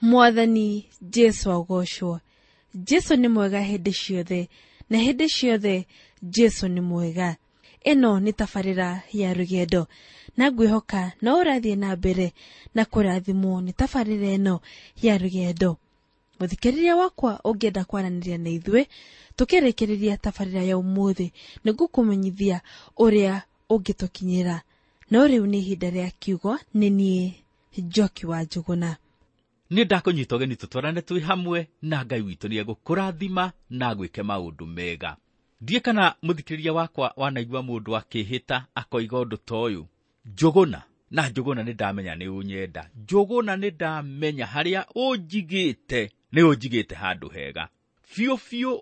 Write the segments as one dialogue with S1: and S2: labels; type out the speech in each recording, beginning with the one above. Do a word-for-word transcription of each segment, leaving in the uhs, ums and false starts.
S1: Mwathani Jesu agocwo. Jesu nĩ mwega hĩndĩ ciothe, na hĩndĩ ciothe Jesu nĩ mwega. Ĩno nĩ tabarĩra ya rũgendo, na ngwĩhoka no ũrathiĩ na mbere na kũrathimwo nĩ tabarĩra ĩno ya rũgendo. Mũthikĩrĩria wakwa ũngĩenda kwaranĩria na ithuĩ tũkĩrĩkĩrĩria tabarĩra ya ũmũthĩ, nĩngũkũmenyithia ũrĩa ũngĩtũkinyĩra. No rĩu nĩ ihinda rĩa kiugo, nĩ niĩ Njoki wa Njũgũna.
S2: Nĩ ndakũnyita ũgeni tũtwarane twĩ hamwe na Ngai witũ nĩ egũkũrathima na agwĩke maũndũ mega. Ndiĩ kana mũthikĩrĩria wakwa wanaigua mũndũ akĩhĩta akoiga ũndũ ta ũyũ, Njũgũna, na Njũgũna nĩ ndamenya nĩ ũnyenda, Njũgũna nĩ ndamenya harĩa ũnjigĩte nĩ ũnjigĩte handũ hega biũ biũ.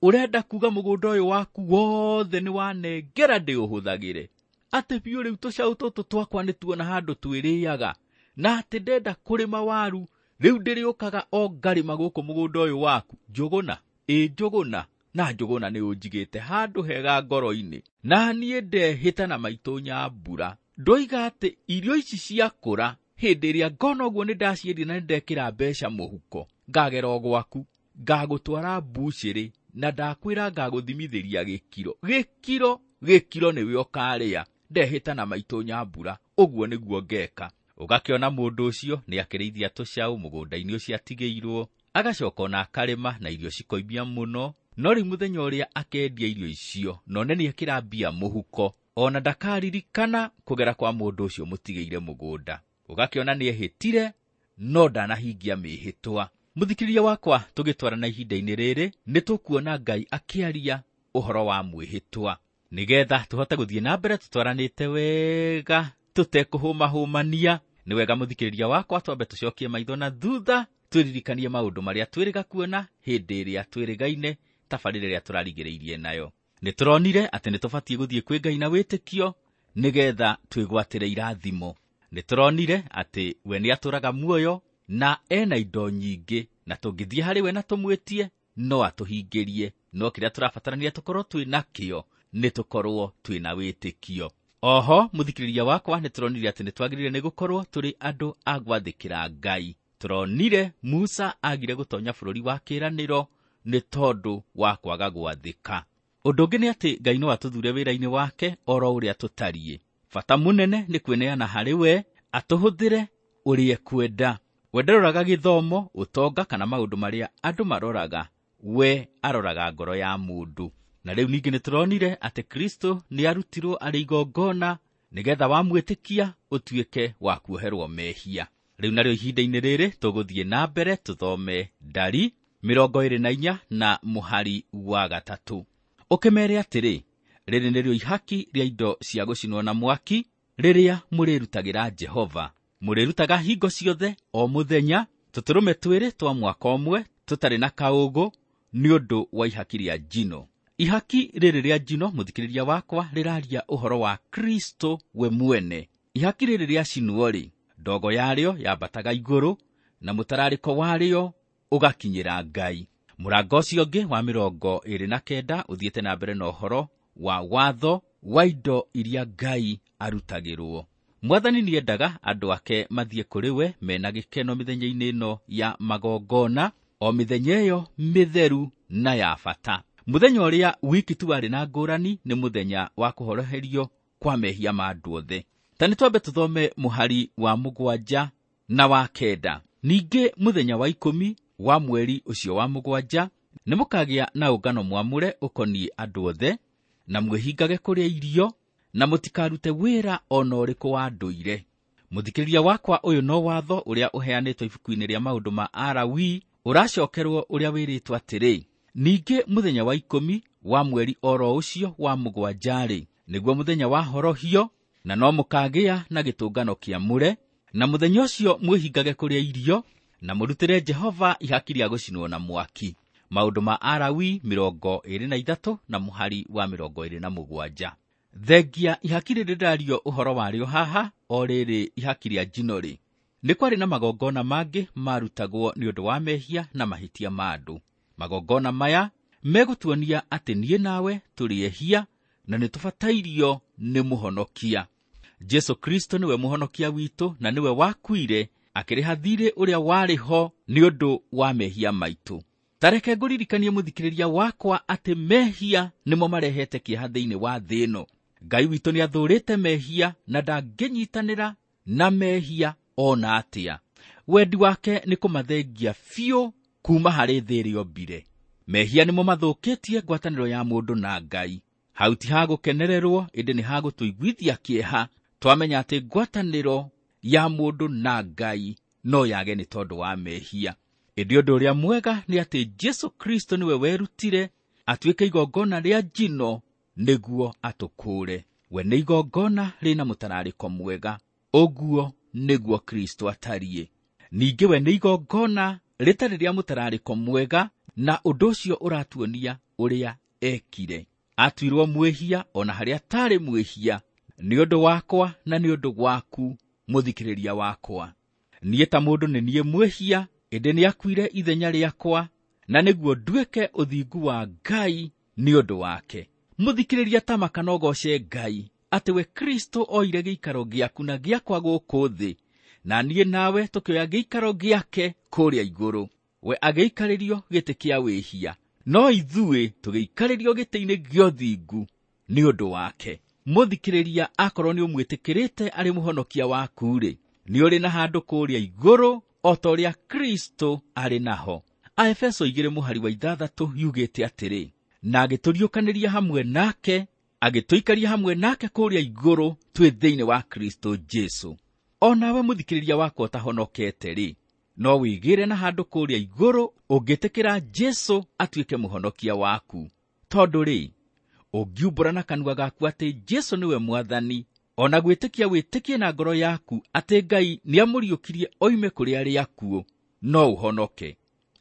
S2: Ũrenda kuga mũgũnda ũyũ waku wothe nĩ wanengera ndĩũhũthagĩre, atĩ biũ rĩu tũcaũ tũtũ twakwa nĩ tuona handũ twĩrĩaga, na atĩ ndenda kũrĩma waru rĩu ndĩrĩũkaga o ngarĩma gũkũ mũgũnda ũyũ waku. Njũgũna, ĩ Njũgũna, na Njũgũna nĩ ũnjigĩte handũ hega ngoro-inĩ, na niĩ ndehĩta na maitũ Nyambura ndoiga atĩ irio ici ciakũra hĩndĩ ĩrĩa ngona ũguo nĩ ndaciendia na nĩ ndekĩra mbeca mũhuko, ngagera o gwaku, ngagũtwara mbucĩrĩ, na ndakwĩra ngagũthimithĩria gĩkiro gĩkiro gĩkiro nĩwe ũkarĩa. Ndehĩta na maitũ Nyambura ũguo nĩguo ngeka. Ũgakĩona mũndũ ũcio nĩ akĩrĩithia tũcaũ mũgũnda-inĩ ũcio atigĩirwo, agacoka ona akarĩma na irio cikoimia mũno, no rĩu mũthenya ũrĩa akendia irio icio na one nĩ ekĩra mbia mũhuko, ona ndakaririkana kũgera kwa mũndũ ũcio mũtigĩire mũgũnda. Ũgakĩona nĩ ehĩtire no ndanahingia mĩhĩtwa. Mũthikĩrĩria wakwa, tũgĩtwarana ihinda-inĩ rĩrĩ nĩ tũkuona Ngai akĩaria ũhoro wa mwĩhĩtwa, nĩgetha tũhote gũthiĩ na mbere tũtwaranĩte wega tũtekũhũmahũmania. Nĩ wega mũthikĩrĩria wakwa twambe tũcokie maitho na thutha twĩririkanie maũndũ marĩa twĩrĩga kuona hĩndĩ ĩrĩa twĩrĩgaine tabarĩra ĩrĩa tũrarigĩrĩirie nayo. Nĩ tũronire atĩ nĩ tũbatiĩ gũthiĩ kwĩ Ngai na wĩtĩkio nĩgetha twĩgwatĩre irathimo. Nĩ tũronire atĩ we nĩ atũraga muoyo na ena indo nyingĩ, na tũngĩthiĩ harĩ we na tũmwĩtie no atũhingĩrie, no kĩrĩa tũrabatarania tũkorwo twĩ nakĩo nĩ tũkorwo twĩ na wĩtĩkio. Oho mũthikĩrĩria wakwa, nĩ tũronire atĩ nĩ twagĩrĩire nĩ gũkorwo tũrĩ andũ a gwathĩkĩra Ngai. Tũronire Musa agire gũtonya bũrũri wa kĩĩranĩro nĩ tondũ wa kwaga gwathĩka. Ũndũ ũngĩ nĩ atĩ Ngai no atũthure wĩra-inĩ wake oro ũrĩa tũtariĩ. Bata mũnene nĩ kwĩneana harĩ we, atũhũthĩre ũrĩa ekwenda. We ndaroraga gĩthomo, ũtonga kana maũndũ marĩa andũ maroraga, we aroraga ngoro ya mũndũ. Na rĩu ningĩ nĩ tũronire atĩ Kristo nĩ arutirwo arĩ igongona nĩgetha wamwĩtĩkia ũtuĩke wa kuoherwo mehia. Rĩu narĩo ihinda-inĩ rĩrĩ tũgũthiĩ na mbere tũthome Ndari mĩrongo ĩrĩ na inya na mũhari wa gatatũ. Ũkĩmeere atĩrĩ, rĩrĩ nĩrĩo ihaki rĩa indo cia gũcinwo na mwaki rĩrĩa mũrĩrutagĩra Jehova. Mũrĩrutaga hingo ciothe o mũthenya tũtũrũme twĩrĩ twa mwaka ũmwe tũtarĩ na kaũgũ nĩ ũndũ wa ihaki rĩa njino. Ihaki rĩrĩ rĩa njino, mũthikĩrĩria wakwa, rĩraria ũhoro wa Kristo we mwene. Ihaki rĩrĩ rĩacinwo-rĩ, ndogo yarĩo yambataga igũrũ na mũtararĩko warĩo ũgakinyĩra Ngai. Mũrango ũcio ũngĩ wa mĩrongo ĩrĩ na kenda ũthiĩte na mbere na ũhoro wa watho wa indo iria Ngai arutagĩrwo. Mwathani nĩendaga andũ ake mathiĩ kũrĩ we mena gĩkeno mĩthenya-inĩ ĩno ya magongona, o mĩthenya ĩyo mĩtheru na ya bata. Mũthenya ũrĩa wiki tu warĩ na ngũrani nĩ mũthenya wa kũhoroherio kwa mehia ma andũ othe. Ta nĩ twambe tũthome mũhari wa mũgwanja na wa kenda. Ningĩ mũthenya wa ikũmi wa mweri ũcio wa mũgwanja nĩ mũkagĩa na ũngano mwamũre ũkoniĩ andũ othe, na mwĩhingage kũrĩa irio, na mũtikarute wĩra o na ũrĩkũ wa ndũire. Mũthikĩrĩria wakwa, ũyũ no watho ũrĩa ũheanĩtwo ibuku-inĩ rĩa maũndũ ma Alawii, ũracokerwo ũrĩa wĩrĩtwo atĩrĩ, ningĩ mũthenya wa ikũmi wa mweri oro ũcio wa mũgwanja-rĩ, nĩguo mũthenya wa horohio, na no mũkagĩa na gĩtũngano kĩamũre, na mũthenya ũcio mwĩhingage kũrĩa irio, na mũrutĩre Jehova ihaki rĩa gũcinwo na mwaki. Maũndũ ma Alawii mĩrongo ĩrĩ na ithatũ na mũhari wa mĩrongo ĩrĩ na mũgwanja. Thengia ihaki rĩrĩ rĩrario ũhoro warĩo haha, o rĩrĩ ihaki rĩa njino-rĩ, nĩ kwarĩ na magongona mangĩ marutagwo nĩ ũndũ wa mehia na mahĩtia ma andũ. Magongona maya megũtuonia atĩ niĩ nawe tũrĩ ehia na nĩ tũbatairio nĩ mũhonokia. Jesu Kristo nĩwe mũhonokia witũ na nĩwe wakuire Akĩrĩha thiirĩ ũrĩa warĩ ho nĩ ũndũ wa mehia maitũ. Ta reke ngũririkanie mũthikĩrĩria wakwa atĩ mehia nĩmo marehete kĩeha thĩinĩ wa thĩ ĩno. Ngai witũ nĩathũũrĩte mehia na ndangĩnyitanĩra na mehia ona atĩa. Wendi wake nĩ kũmathengia biũ kuma harĩ thĩ ĩrĩa ombire. Mehia nĩmo mathũkĩtie ngwatanĩro ya mũndũ na Ngai. Hau ti ha gũkenererwo, ĩndĩ nĩ ha gũtũiguithia kĩeha twamenya atĩ ngwatanĩro ya mũndũ na Ngai no yage nĩ tondũ wa mehia. Ĩndĩ ũndũ ũrĩa mwega nĩ atĩ Jesũ Kristo nĩwe werutire atuĩke igongona rĩa njino nĩguo atũkũũre. We nĩ igongona rĩna mũtararĩko mwega. Ũguo nĩguo Kristo atariĩ. Ningĩ we nĩ igongona rĩtarĩ rĩa mũtararĩko mwega, na ũndũ ũcio ũratuonia ũrĩa ekire. Atuirwo mwĩhia ona harĩa atarĩ mwĩhia, nĩ ũndũ wakwa na nĩ ũndũ waku mũthikĩrĩria wakwa. Niĩ ta mũndũ nĩ niĩ mwĩhia, ĩndĩ nĩakuire ithenya rĩakwa, na nĩguo nduĩke ũthingu wa Ngai nĩ ũndũ wake. Mũthikĩrĩria ta maka no goce Ngai atĩ we Kristo oire gĩikaro gĩaku na gĩakwa gũkũ thĩ, na niĩ nawe tũkĩoya gĩikaro gĩake kũrĩa igũrũ. We agĩikarĩrio gĩtĩ kĩa wĩhia, no ithuĩ tũgĩikarĩrio gĩtĩ-inĩ gĩa ũthingu nĩ ũndũ wake. Mũthikĩrĩria, akorwo nĩ ũmwĩtĩkĩrĩte arĩ mũhonokia waku-rĩ, nĩ ũrĩ na handũ kũrĩa igũrũ o ta ũrĩa Kristo arĩ naho. Aefeso igĩrĩ mũhari wa ithathatũ yugĩte atĩrĩ, na agĩtũriũkanĩria hamwe nake, agĩtũikaria hamwe nake kũrĩa igũrũ twĩ thĩinĩ wa Kristo Jesũ. O nawe mũthikĩrĩria wakwa ũtahonokete-rĩ, no wĩgĩre na handũ kũrĩa igũrũ ũngĩtĩkĩra Jesũ atuĩke mũhonokia waku. Tondũ rĩ, ũngiumbũra na kanua gaku atĩ Jesũ nĩwe Mwathani, ona gwĩtĩkia wĩtĩkie na ngoro yaku atĩ Ngai nĩamũriũkirie oime kũrĩ arĩa akuũ, no ũhonoke.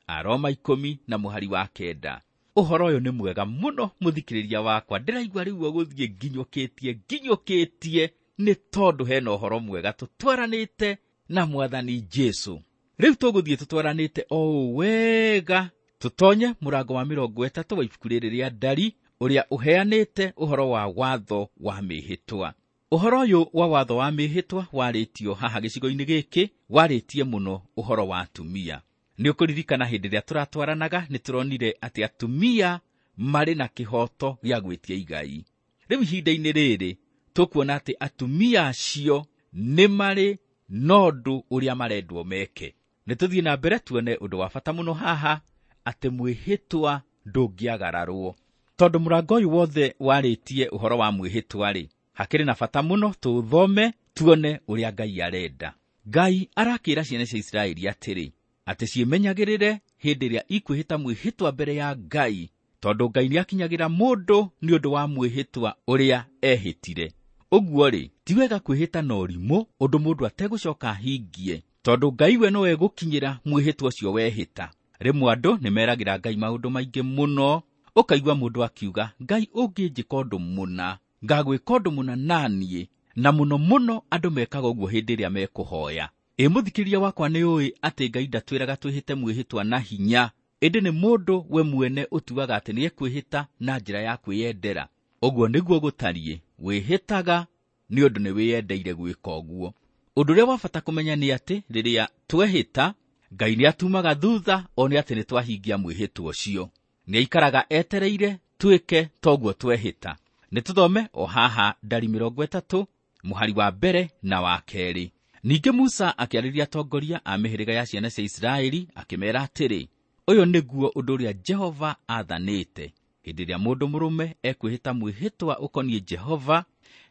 S2: Aroma ikũmi na mũhari wa kenda. Ũhoro ũyũ nĩ mwega mũno mũthikĩrĩria wakwa. Ndĩraigua rĩu ũgũthiĩ nginyũkĩtie nginyũkĩtie nĩ tondũ hena ũhoro mwega tũtwaranĩte na Mwathani Jesũ. Rĩu tũgũthiĩ tũtwaranĩte o ũũ wega tũtonye mũrango wa mĩrongo ĩtatũ wa ibuku rĩrĩ rĩa Ndari, ũrĩa ũheanĩte ũhoro wa watho wa mĩhĩtwa. Ũhoro ũyũ wa watho wa mĩhĩtwa warĩtio haha gĩcigo-inĩ gĩkĩ, warĩtie mũno ũhoro wa atumia. Nĩ ũkũririkana hĩndĩ ĩrĩa tũratwaranaga nĩ tũronire atĩ atumia marĩ na kĩhooto gĩa gwĩtia igai. Rĩu ihinda-inĩ rĩrĩ tũkuona atĩ atumia acio nĩ marĩ na ũndũ ũrĩa marendwo meke. Nĩ tũthiĩ na mbere tuone ũndũ wa bata mũno haha, atĩ mwĩhĩtwa ndũngĩagararwo. Tondũ mũrango ũyũ wothe warĩtie ũhoro wa mwĩhĩtwa-rĩ, hakĩrĩ na bata mũno tũũthome tuone ũrĩa Ngai arenda. Ngai arakĩra ciana cia Isiraeli atĩrĩ, atĩ ciĩmenyagĩrĩre hĩndĩ ĩrĩa ikwĩhĩta mwĩhĩtwa mbere ya Ngai, tondũ Ngai nĩakinyagĩra mũndũ nĩ ũndũ wa mwĩhĩtwa ũrĩa ehĩtire. Ũguo-rĩ, ti wega kwĩhĩta na ũrimũ ũndũ mũndũ ategũcoka ahingie, tondũ Ngai we no egũkinyĩra mwĩhĩtwa ũcio wehĩta. Rĩmwe andũ nĩmeragĩra Ngai maũndũ maingĩ mũno, ũkaigua mũndũ akiuga, Ngai ũngĩnjĩka ũndũ mũna, ngagwĩka ũndũ mũna naniĩ, na mũno mũno andũ mekaga ũguo hĩndĩ ĩrĩa mekũhoya. Ĩ mũthikĩrĩria wakwa nĩ ũĩ atĩ Ngai ndatwĩraga twĩhĩte mwĩhĩtwa na hinya, ĩndĩ nĩ mũndũ we mwene ũtuaga atĩ nĩekwĩhĩta na njĩra ya kwĩyendera. Ũguo nĩguo gũtariĩ, wĩhĩtaga nĩ ũndũ nĩ wĩyendeire gwĩka ũguo. Ũndũ ũrĩa wa bata kũmenya nĩ atĩ rĩrĩa twehĩta, Ngai nĩatumaga thutha one atĩ nĩ twahingia mwĩhĩtwa ũcio. Nĩaikaraga etereire twĩke toguo twehĩta. Nĩ tũthome o haha Ndari mĩrongo ĩtatũ mũhari wa mbere na wa kerĩ. Ningĩ Musa akĩarĩria atongoria a mĩhĩrĩga ya ciana cia Isiraeli akĩmeera atĩrĩ, ũyũ nĩguo ũndũ ũrĩa Jehova aathanĩte. Hĩndĩ ĩrĩa mũndũ mũrũme ekwĩhĩta mwĩhĩtwa ũkoniĩ Jehova,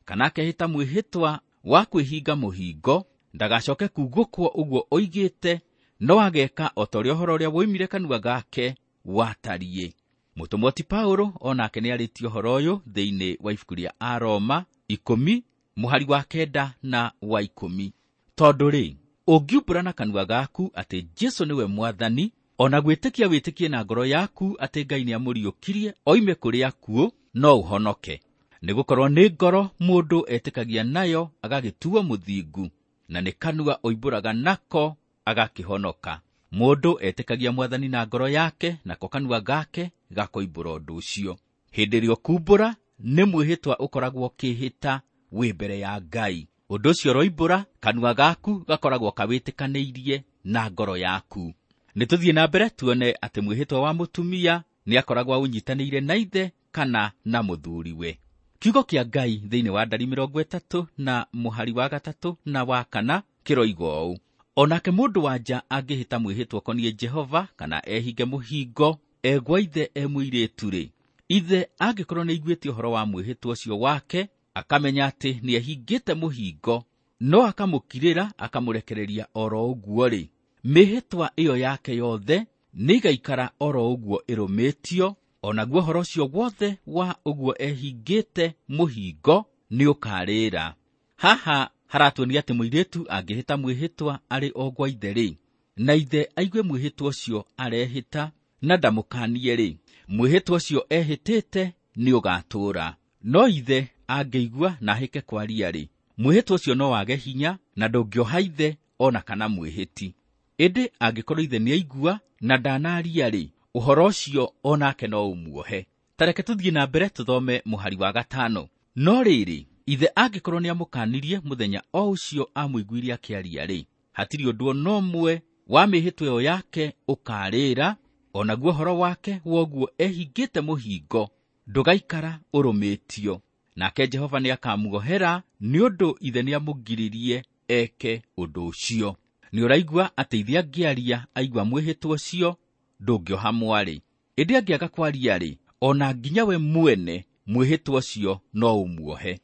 S2: kana akehĩta mwĩhĩtwa wa kwĩhinga mũhingo, ndagacoke kuugũkwo ũguo oigĩte, no ageka o ta ũrĩa ũhoro ũrĩa woimire kanua gake watariĩ. Mũtũmwo ti Paulo onake nĩarĩtie ũhoro ũyũ thĩinĩ wa ibuku rĩa Aroma ikũmi mũhari wa kenda na wa ikũmi. Tondũ rĩ, ũngiumbũra na kanua gaku atĩ Jesũ nĩwe Mwathani, ona gwĩtĩkia wĩtĩkie na ngoro yaku atĩ Ngai nĩamũriũkirie oime kũrĩ akuũ, no ũhonoke. Nĩgũkorwo nĩ ngoro mũndũ etĩkagia nayo agagĩtuo mũthingu, na nĩ kanua oimbũraga nako agakĩhonoka. Mũndũ etĩkagia Mwathani na ngoro yake, nako kanua gake gakoimbũra ũndũ ũcio. Hĩndĩ ĩrĩa ũkumbũra, nĩ mwĩhĩtwa ũkoragwo ũkĩhĩta wĩ mbere ya Ngai. Ũndũ ũcio ũroimbũra, kanua gaku gakoragwo kawĩtĩkanĩirie na ngoro yaku. Nĩ tũthiĩ na mbere tuone atĩ mwĩhĩtwa wa mũtumia nĩ akoragwo aũnyitanĩire na ithe kana na mũthuriwe. Kiugo kĩa Ngai thĩinĩ wa Ndari mĩrongo ĩtatũ na mũhari wa gatatũ na wa kana kĩroiga ũũ: onake mũndũ wa nja angĩhĩta mwĩhĩtwa ũkoniĩ Jehova kana ehinge mũhingo egwa ithe e mũirĩtu-rĩ, ithe angĩkorwo nĩaiguĩte ũhoro wa mwĩhĩtwa ũcio wake, akamenya atĩ nĩehingĩte mũhingo, no akamũkirĩra akamũrekereria oro ũguo-rĩ, mĩhĩtwa ĩyo yake yothe nĩigaikara oro ũguo ĩrũmĩtio, onaguo ũhoro ũcio wothe wa ũguo ehingĩte mũhingo nĩũkarĩra. Haha haratuonia atĩ mũirĩtu angĩhĩta mwĩhĩtwa arĩ o gwa ithe-rĩ, na ithe aigue mwĩhĩtwa ũcio arehĩta na ndamũkanie-rĩ, mwĩhĩtwa ũcio ehĩtĩte nĩũgatũũra. No ithe angĩigua na ahĩke kwaria-rĩ, mwĩhĩtwa ũcio no wage hinya na ndũngĩoha ithe ona kana mwĩhĩti. Ĩndĩ angĩkorwo ithe nĩaigua na ndanaria-rĩ, ũhoro ũcio onake no ũmuohe. Ta reke tũthiĩ na mbere tũthome mũhari wa gatano. No rĩrĩ, ithe angĩkorwo nĩamũkanirie mũthenya o ũcio amũiguire akĩaria-rĩ, hatirĩ ũndũ ona ũmwe wa mĩhĩtwa ĩyo yake ũkarĩra, onaguo ũhoro wake woguo ehingĩte mũhingo ndũgaikara ũrũmĩtio. Nake Jehova nĩakamuohera nĩ ũndũ ithe nĩamũgiririe eke ũndũ ũcio. Nĩũraigua atĩ ithe angĩaria aigua mwĩhĩtwa ũcio ndũngĩoha mwarĩ. Ĩndĩ angĩaga kwaria-rĩ, ona nginya we mwene mwĩhĩtwa ũcio no ũmuohe.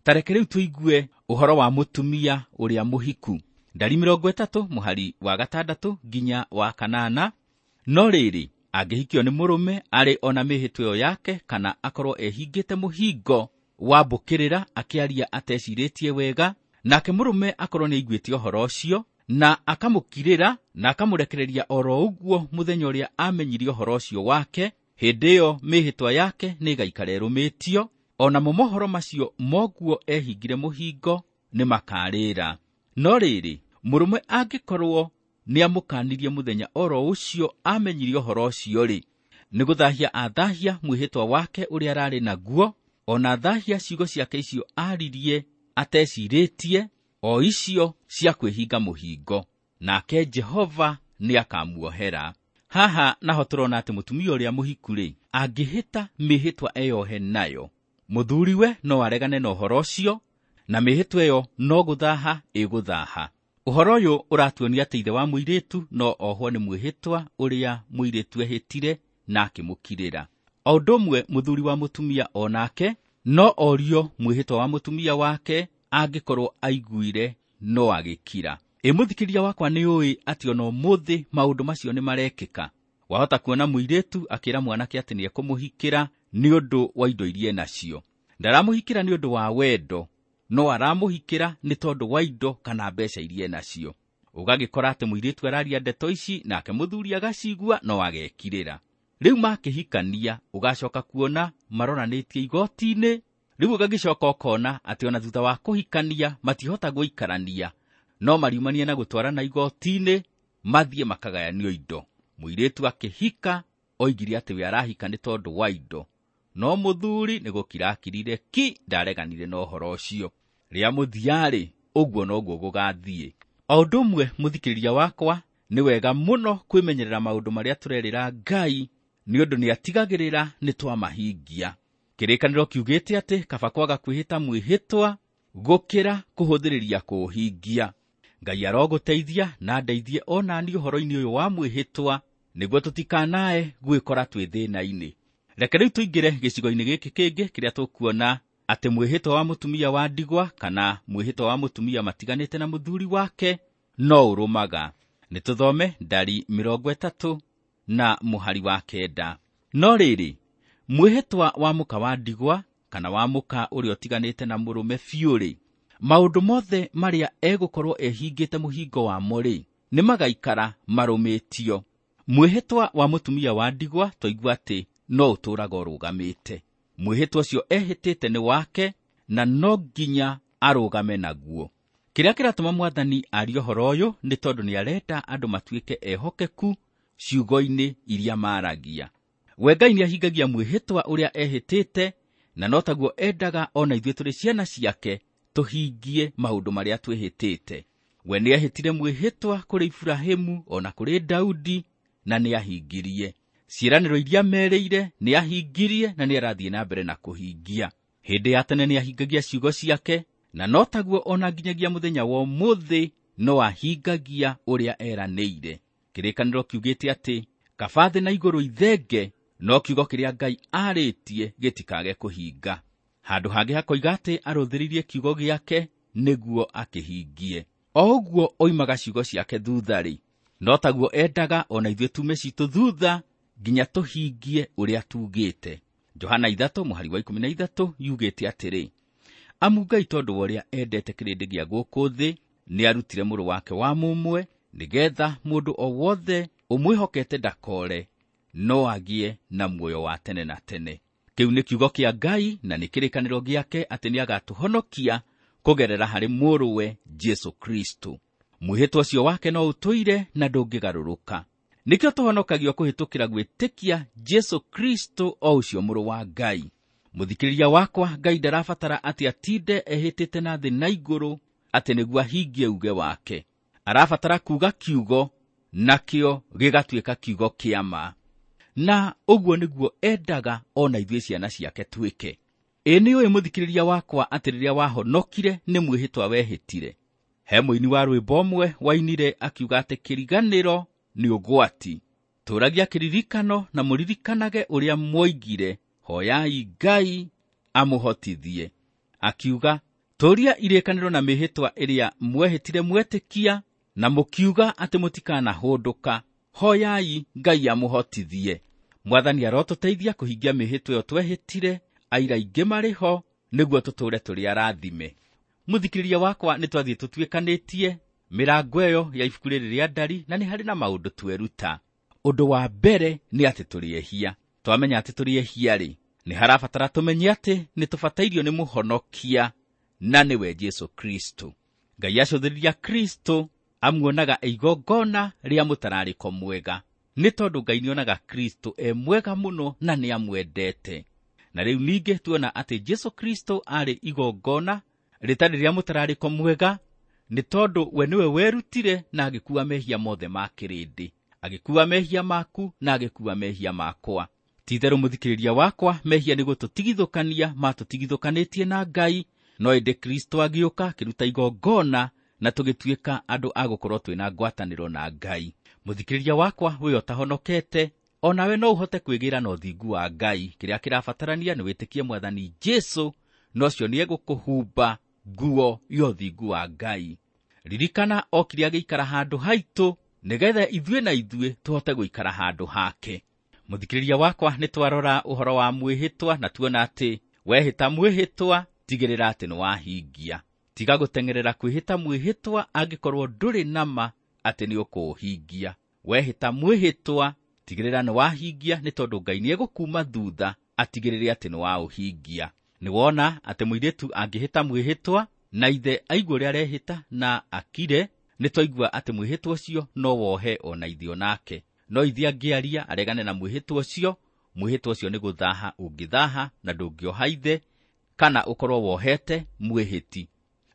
S2: Ta reke rĩu tũigue ũhoro wa mũtumia ũrĩa mũhiku. Ndari mĩrongo ĩtatũ mũhari wa gatandatũ nginya wa kanana. No rĩrĩ, angĩhikio nĩ mũrũme arĩ ona mĩhĩtwa ĩyo yake kana akorwo ehingĩte mũhingo wa mbũkĩrĩra akĩaria atecirĩtie wega, nake mũrũme akorwo nĩaiguĩte ũhoro ũcio na akamũkirĩra na akamũrekereria oro ũguo mũthenya ũrĩa amenyire ũhoro ũcio wake, hĩndĩ ĩyo mĩhĩtwa yake nĩĩgaikara ĩrũmĩtio, onamo mohoro macio moguo ehingire mũhingo nĩmakarĩra. No rĩrĩ, mũrũme angĩkorwo nĩamũkanirie mũthenya oro ũcio amenyire ũhoro ũcio-rĩ, nĩgũthahia athahia mwĩhĩtwa wake ũrĩa ararĩ naguo, ona thahia ciugo ciake icio aririe atecirĩtie, o icio cia kwĩhinga mũhingo, nake Jehova nĩakamuohera. Haha naho tũrona atĩ mũtumia ũrĩa mũhiku-rĩ, angĩhĩta mĩhĩtwa eyohe nayo, mũthuriwe no aregane na ũhoro ũcio, na mĩhĩtwa ĩyo no gũthaha ĩgũthaha. Ũhoro ũyũ ũratuonia atĩ ithe wa mũirĩtu no ohwo nĩ mwĩhĩtwa ũrĩa mũirĩtu ehĩtire na akĩmũkirĩra. O ũndũ ũmwe mũthuri wa mũtumia onake no orio mwĩhĩtwa wa mũtumia wake angĩkorwo aiguire no agĩkira. Ĩ mũthikĩria wakwa nĩ ũĩ atĩ ona ũmũthĩ maũndũ macio nĩ marekĩka. Wahota kuona mũirĩtu akĩra mwanake atĩ nĩekũmũhikĩra nĩ ũndũ wa indo iria enacio. Ndaramũhikĩra nĩ ũndũ wa wendo, no aramũhikĩra nĩ tondũ wa indo kana mbeca iria enacio. Ũgagĩkora atĩ mũirĩtu araria ndeto ici nake mũthuri agacigua no agekirĩra. Rĩu makĩhikania ũgacoka kuona maroranĩtie igoti-inĩ. Rĩu ũgagĩcoka ũkona atĩ ona thutha wa kũhikania matihota gũikarania, no mariumania na gũtwarana igoti-inĩ mathiĩ makagayanio indo. Mũirĩtu akĩhika oigire atĩ we arahika nĩ tondũ wa indo, no mũthuri nĩ gũkira akirire ki, ndareganire na ũhoro ũcio. Rĩa mũthia-rĩ, ũguo noguo gũgathiĩ. O ũndũ ũmwe mũthikĩrĩria wakwa, nĩ wega mũno kwĩmenyerera maũndũ marĩa tũrerĩra Ngai, nĩ ũndũ nĩatigagĩrĩra nĩ twamahingia. Kĩrĩkanĩro kiugĩte atĩ kaba kwaga kwĩhĩta mwĩhĩtwa gũkĩra kũhũthĩrĩria kũũhingia. Ngai arogũteithia na ndeithie ona niĩ ũhoro-inĩ ũyũ wa mwĩhĩtwa, nĩguo tũtikanae gwĩkora twĩ thĩna-inĩ. Reke rĩu tũingĩre gĩcigo-inĩ gĩkĩ kĩngĩ kĩrĩa tũkuona atĩ mwĩhĩtwa wa mũtumia wa ndigwa kana mwĩhĩtwa wa mũtumia matiganĩte na mũthuri wake no ũrũmaga. Nĩ tũthome Ndari mĩrongo ĩtatũ na mũhari wa kenda. No rĩrĩ, mwĩhĩtwa wa mũka wa ndigwa kana wa mũka ũrĩa ũtiganĩte na mũrũme biũ-rĩ, maũndũ mothe marĩa egũkorwo ehingĩte mũhingo wamo rĩ, nĩmagaikara marũmĩtio. Mwĩhĩtwa wa mũtumia wa ndigwa twaigua atĩ no ũtũũraga ũrũgamĩte. Mwĩhĩtwa ũcio ehĩtĩte nĩ wake na no nginya arũgame naguo. Kĩrĩa kĩratũma Mwathani arie ũhoro ũyũ nĩ tondũ nĩarenda andũ matuĩke ehokeku ciugo-inĩ iria maragia. We Ngai nĩahingagia mwĩhĩtwa ũrĩa ehĩtĩte, na no taguo endaga ona ithuĩ tũrĩ ciana ciake tũhingie maũndũ marĩa twĩhĩtĩte. We nĩehĩtire mwĩhĩtwa kũrĩ Iburahĩmu ona kũrĩ Daudi na nĩahingirie. Ciĩranĩro iria merĩire nĩahingirie na nĩarathiĩ na mbere na kũhingia. Hĩndĩ ya tene nĩahingagia ciugo ciake, na no taguo ona nginyagia mũthenya wa ũmũthĩ no ahingagia ũrĩa eranĩire. Kĩrĩkanĩro kiugĩte atĩ kaba thĩ na igũrũ ithenge, no kiugo kĩrĩa Ngai arĩtie gĩtikage kũhinga. Handũ hangĩ hakoiga atĩ arũthĩrĩirie kiugo gĩake nĩguo akĩhingie. O ũguo oimaga ciugo ciake thutha-rĩ, no taguo endaga ona ithuĩ tume citũ thutha nginya tũhingie ũrĩa tugĩte. Johana ithatũ mũhari wa ikũmi na ithatũ yugĩte atĩrĩ, amu Ngai tondũ wa ũrĩa endete kĩrĩndĩ gĩa gũkũ thĩ nĩarutire mũrũ wake wa mũmwe nĩgetha mũndũ o wothe ũmwĩhokete ndakore no agĩe na muoyo wa tene na tene. Kĩu nĩ kiugo kĩa Ngai na nĩ kĩrĩkanĩro gĩake atĩ nĩagatũhonokia kũgerera harĩ mũrũwe Jesũ Kristo. Mwĩhĩtwa ũcio wake no ũtũire na ndũngĩgarũrũka. Nĩkĩo tũhonokagio kũhĩtũkĩra gwĩtĩkia Jesũ Kristo o ũcio mũrũ wa Ngai. Mũthikĩrĩria wakwa, Ngai ndarabatara atĩ atinde ehĩtĩte na thĩ na igũrũ atĩ nĩguo ahingie uge wake. Arabatara kuuga kiugo nakĩo gĩgatuĩka kiugo kĩa ma. Na ũguo nĩguo endaga ona ithuĩ ciana ciake twĩke. Ĩ nĩ ũĩ mũthikĩrĩria wakwa atĩ rĩrĩa wahonokire nĩ mwĩhĩtwa wehĩtire. He mũini wa rwĩmbo ũmwe wainire akiuga atĩ kĩriganĩro nĩ ũgwati. Tũragia kĩririkano na mũririkanage ũrĩa mwoigire, hoyai Ngai amũhotithie. Akiuga, tũria irĩkanĩro na mĩhĩtwa ĩrĩa mwehĩtire mwetĩkia na mũkiuga atĩ mũtikanahũndũka, hoyai Ngai amũhotithie. Mwathani arotũteithia kũhingia mĩhĩtwa ĩyo twehĩtire, aira aingĩ marĩ ho nĩguo tũtũũre tũrĩ arathime. Mũthikĩrĩria wakwa, nĩ twathiĩ tũtuĩkanĩtie mĩrango ĩyo ya ibuku rĩrĩ rĩa Ndari na nĩ harĩ na maũndũ tweruta. Ũndũ wa mbere nĩ atĩ tũrĩ ehia. Twamenya atĩ tũrĩ ehia-rĩ, nĩ harabatara tũmenye atĩ nĩ tũbatairio nĩ mũhonokia na nĩwe Jesũ Kristo. Ngai acũthĩrĩria Kristo amuonaga e igongona rĩa mũtararĩko mwega, nĩ tondũ Ngai nĩonaga Kristo e mwega mũno na nĩamwendete. Na rĩu ningĩ tuona atĩ Jesũ Kristo arĩ igongona rĩtarĩ rĩa mũtararĩko mwega, nĩ tondũ we nĩwe werutire na agĩkua mehia mothe ma kĩrĩndĩ, agĩkua mehia maku na agĩkua mehia makwa. Ti-itherũ mũthikĩrĩria wakwa, mehia nĩ gũtũtigithũkania matũtigithũkanĩtie na Ngai, no ĩndĩ Kristo agĩũka akĩruta igongona na tũgĩtuĩka andũ a gũkorwo twĩna ngwatanĩro na Ngai. Mũthikĩrĩria wakwa, we ũtahonokete, onawe no ũhote kwĩgĩra na ũthingu wa Ngai. Kĩrĩa kĩrabatarania nĩ wĩtĩkie Mwathani Jesũ, na ũcio nĩegũkũhumba nguo ya ũthingu wa Ngai. Ririkana okire agĩikara handũ haitũ nĩgetha ithuĩ na ithuĩ tũhote gũikara handũ hake. Mũthikĩrĩria wakwa, nĩ twarora ũhoro wa mwĩhĩtwa na tuona atĩ wehĩta mwĩhĩtwa tigĩrĩra atĩ nĩ wahingia. Tiga gũteng'erera kwĩhĩta mwĩhĩtwa angĩkorwo ndũrĩ na ma atĩ nĩ ũkũũhingia. Wehĩta mwĩhĩtwa tigĩrĩra nĩ wahingia, nĩ tondũ Ngai nĩegũkuma thutha atigĩrĩre atĩ nĩ waũhingia. Nĩ wona atĩ mũirĩtu angĩhĩta mwĩhĩtwa na ithe aigue ũrĩa arehĩta na akire, nĩ twaigua atĩ mwĩhĩtwa ũcio no wohe ona ithe onake. No ithe angĩaria aregane na mwĩhĩtwa ũcio, mwĩhĩtwa ũcio nĩ gũthaha ũngĩthaha na ndũngĩoha ithe kana ũkorwo wohete mwĩhĩti.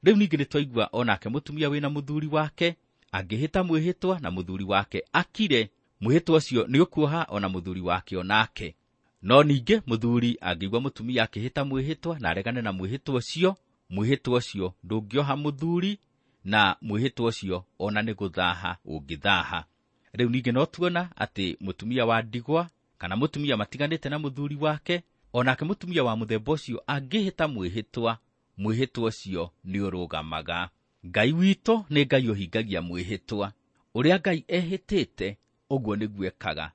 S2: Rĩu ningĩ nĩ twaigua onake mũtumia wĩna mũthuri wake angĩhĩta mwĩhĩtwa na mũthuri wake akire, mwĩhĩtwa ũcio nĩ ũkuoha ona mũthuri wake onake. No ningĩ mũthuri angĩigua mũtumia akĩhĩta mwĩhĩtwa na aregane na mwĩhĩtwa ũcio, mwĩhĩtwa ũcio ndũngĩoha mũthuri na mwĩhĩtwa ũcio ona nĩ gũthaha ũngĩthaha. Rĩu ningĩ no tuona atĩ mũtumia wa ndigwa kana mũtumia matiganĩte na mũthuri wake, onake mũtumia wa mũthemba ũcio angĩhĩta mwĩhĩtwa, mwĩhĩtwa ũcio nĩ ũrũgamaga. Ngai witũ nĩ Ngai ũhingagia mwĩhĩtwa. Ũrĩa Ngai ehĩtĩte ũguo nĩguo ekaga.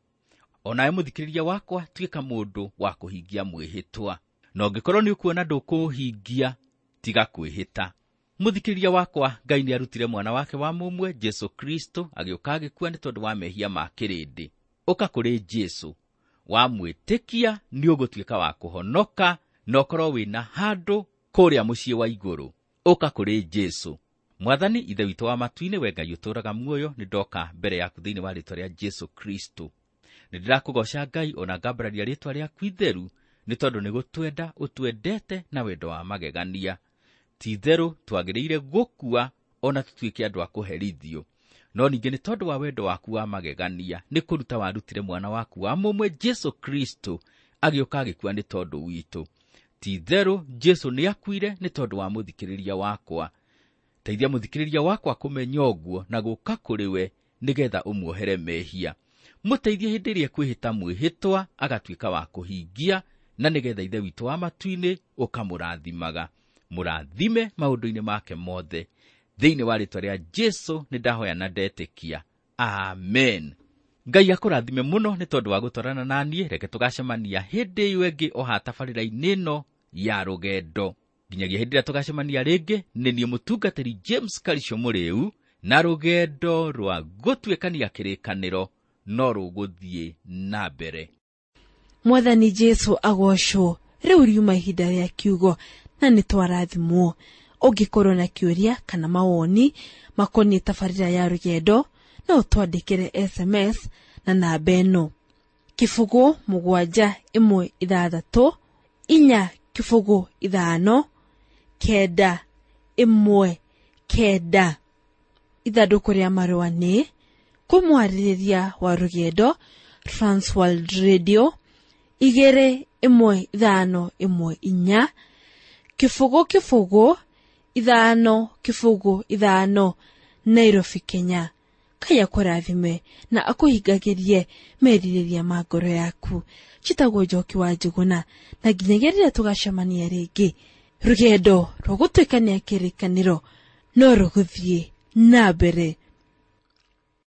S2: Onawe mũthikĩrĩria wakwa, tuĩka mũndũ wa kũhingia mwĩhĩtwa. Na ũngĩkorwo nĩ ũkuona ndũkũũhingia, tiga kwĩhĩta. Mũthikĩrĩria wakwa, Ngai nĩarutire mwana wake wa mũmwe Jesũ Kristo agĩũka agĩkua nĩ tondũ wa mehia ma kĩrĩndĩ. Ũka kũrĩ Jesũ, wamwĩtĩkia nĩ ũgũtuĩka wa kũhonoka na ũkorwo wĩna handũ kũrĩa mũciĩ wa igũrũ. Ũka kũrĩ Jesũ. Mwathani Ithe witũ wa matu-inĩ, we Ngai ũtũũraga muoyo, nĩ ndoka mbere yaku thĩinĩ wa rĩĩtwa rĩa Jesũ Kristo. Nĩ ndĩrakũgoca Ngai ona ngambararia rĩĩtwa rĩaku itheru, nĩ tondũ nĩ gũtwenda ũtwendete na wendo wa magegania. Ti itherũ twagĩrĩire gũkua ona tũtuĩke andũ a kũherithio, no ningĩ nĩ tondũ wa wendo waku wa magegania nĩ kũruta warutire mwana waku wa mũmwe Jesu Kristo agĩũka agĩkua nĩ tondũ witũ. Ti itherũ Jesu nĩ akuire nĩ tondũ wa mũthikĩrĩria wakwa. Teithia mũthikĩrĩria wakwa kũmenya ũguo na gũka kũrĩ we nĩgetha ũmuohere mehia. Mũteithie hĩndĩ ĩrĩa ekwĩhĩta mwĩhĩtwa agatuĩka wa kũhingia, na nĩgetha Ithe witũ wa matu-inĩ ũkamũrathimaga. Mũrathime maũndũ-inĩ make mothe. Thĩinĩ wa rĩĩtwa rĩa Jesu nĩ ndahoya na ndetĩkia. Amen. Ngai akũrathime mũno nĩ tondũ wa gũtwarana na niĩ. Reke tũgacemania hĩndĩ ĩyo ĩngĩ o ha tabarĩra-inĩ ĩno ya rũgendo. Nginyagia hĩndĩ ĩrĩa tũgacemania rĩngĩ, nĩ niĩ mũtungatĩri James Karisho Mũrĩu, na rũgendo rwa gũtuĩkania kĩrĩkanĩro no rũgũthiĩ na mbere.
S1: Mwathani Jesu agocwo. Rĩu riuma ihinda rĩa kiugo na nĩ twarathimwo. Ũngĩkorwo na kĩũria kana mawoni makoniĩ tabarĩra ya rũgendo, no ũtwandĩkĩre S M S na namba ĩno: kĩbũgũ mũgwanja ĩmwe ithathatũ inya kĩbũgũ ithano kenda ĩmwe kenda. Ithandũkũ rĩa marũa nĩ kũmwarĩrĩria wa rũgendo, Transworld Radio igĩrĩ ĩmwe ithano ĩmwe inya kĩbũgũ kĩbũgũ ithano kĩbũgũ ithano, Nairobi, Kenya. Ngai akũrathime na akũhingagĩrie merirĩria ma ngoro yaku. Njĩtagwo Njoki wa Njũgũna, na nginyagia rĩrĩa tũgacemania rĩngĩ, rũgendo rwa gũtuĩkania kĩrĩkanĩro no rũgũthiĩ na mbere.